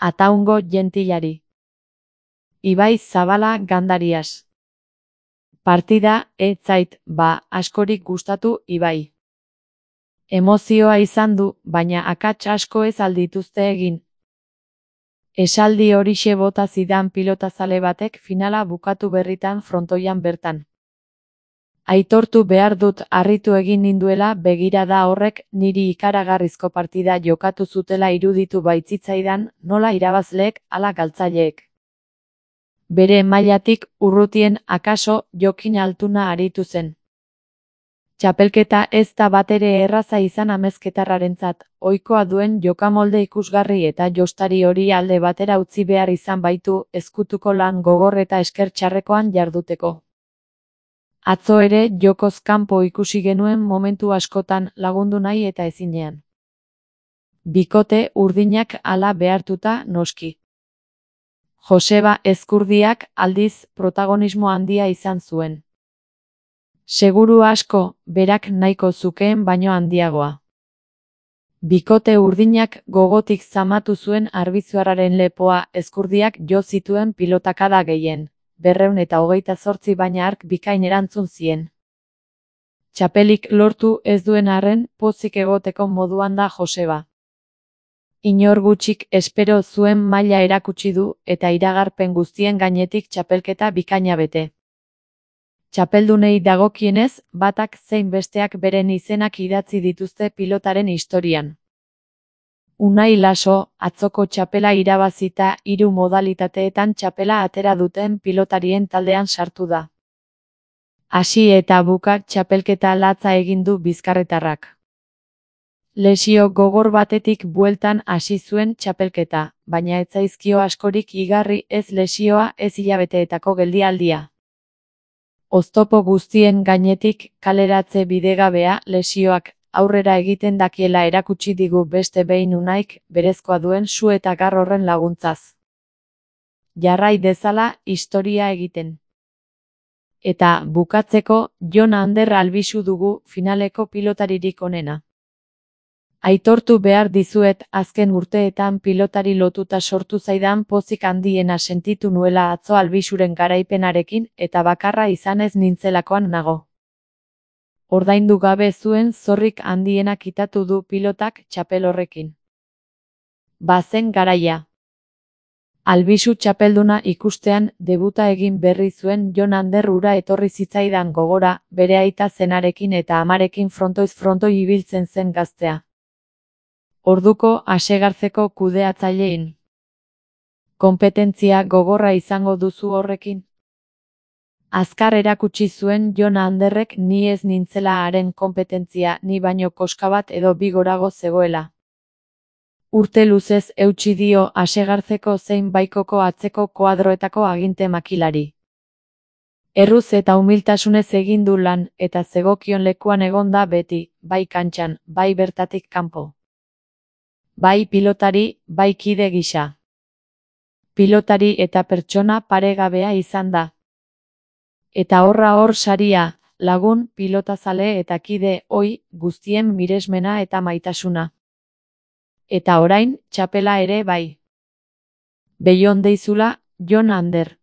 Ataungo jentilari. Ibai Zabala Gandarias. Partida, ez zait, askorik gustatu Ibai. Emozioa izan du, baina akats asko ez aldituzte egin. Esaldi horixe bota zidan pilotazale batek finala bukatu berritan frontoian bertan. Aitortu behar dut harritu egin ninduela begirada horrek niri ikaragarrizko partida jokatu zutela iruditu baitzitzaidan nola irabazleek ala galtzaileek. Bere mailatik urrutien akaso Jokin Altuna aritu zen. Txapelketa ez da batere erraza izan amezketarrarentzat, ohikoa duen jokamolde ikusgarri eta jostari hori alde batera utzi behar izan baitu ezkutuko lan gogor eta esker txarrekoan jarduteko. Atzo ere jokoz kanpo ikusi genuen momentu askotan lagundu nahi eta ezinean. Bikote urdinak hala behartuta noski. Joseba Ezkurdiak aldiz protagonismo handia izan zuen. Seguru asko, berak nahiko zukeen baino handiagoa. Bikote urdinak gogotik zamatu zuen arbitzuarraren lepoa Ezkurdiak jo zituen pilotakada gehien, 228 baina hark bikain erantzun zien. Txapelik lortu ez duen arren pozik egoteko moduan da Joseba. Inor gutxik espero zuen maila erakutsi du eta iragarpen guztien gainetik txapelketa bikaina bete. Txapeldunei dagokienez, batak zein besteak beren izenak idatzi dituzte pilotaren historian. Unai Laso, atzoko txapela irabazita 3 modalitateetan txapela atera duten pilotarien taldean sartu da. Hasi eta buka txapelketa latza egin du bizkarretarrak. Lesio gogor batetik bueltan hasi zuen txapelketa, baina ez zaizkio askorik igarri ez lesioa ez hilabeteetako geldialdia. Oztopo guztien gainetik kaleratze bidegabea lesioak aurrera egiten dakiela erakutsi digu beste behin Unaik berezkoa duen su eta gar horren laguntzaz. Jarrai dezala historia egiten. Eta bukatzeko Jon Ander Albisu dugu finaleko pilotaririk onena. Aitortu behar dizuet azken urteetan pilotari lotuta sortu zaidan pozik handiena sentitu nuela atzo Albisuren garaipenarekin eta bakarra izanez nintzelakoan nago. Ordaindu gabe zuen zorrik handiena kitatu du pilotak txapel horrekin. Bazen garaia. Albisu txapelduna ikustean debuta egin berri zuen Jon Ander hura etorri zitzaidan gogora, bere aita zenarekin eta amarekin frontoiz frontoi ibiltzen zen gaztea. Orduko asegartzeko kudeatzailein. Konpetentzia gogorra izango duzu horrekin. Azkar erakutsi zuen Jon Anderrek ni ez nintzela haren konpetentzia ni baino koska bat edo bi gorago zegoela. Urte luzez eutsi dio asegartzeko zein baikoko atzeko koadroetako aginte makilari. Erruz eta humiltasunez egin du lan eta zegokion lekuan egonda beti, bai kantxan, bai bertatik kanpo. Bai pilotari, bai kide gisa. Pilotari eta pertsona paregabea izan da. Eta horra hor saria, lagun, pilotazale eta kide ohi guztien miresmena eta maitasuna. Eta orain, txapela ere bai. Beion deizula, Jon Ander.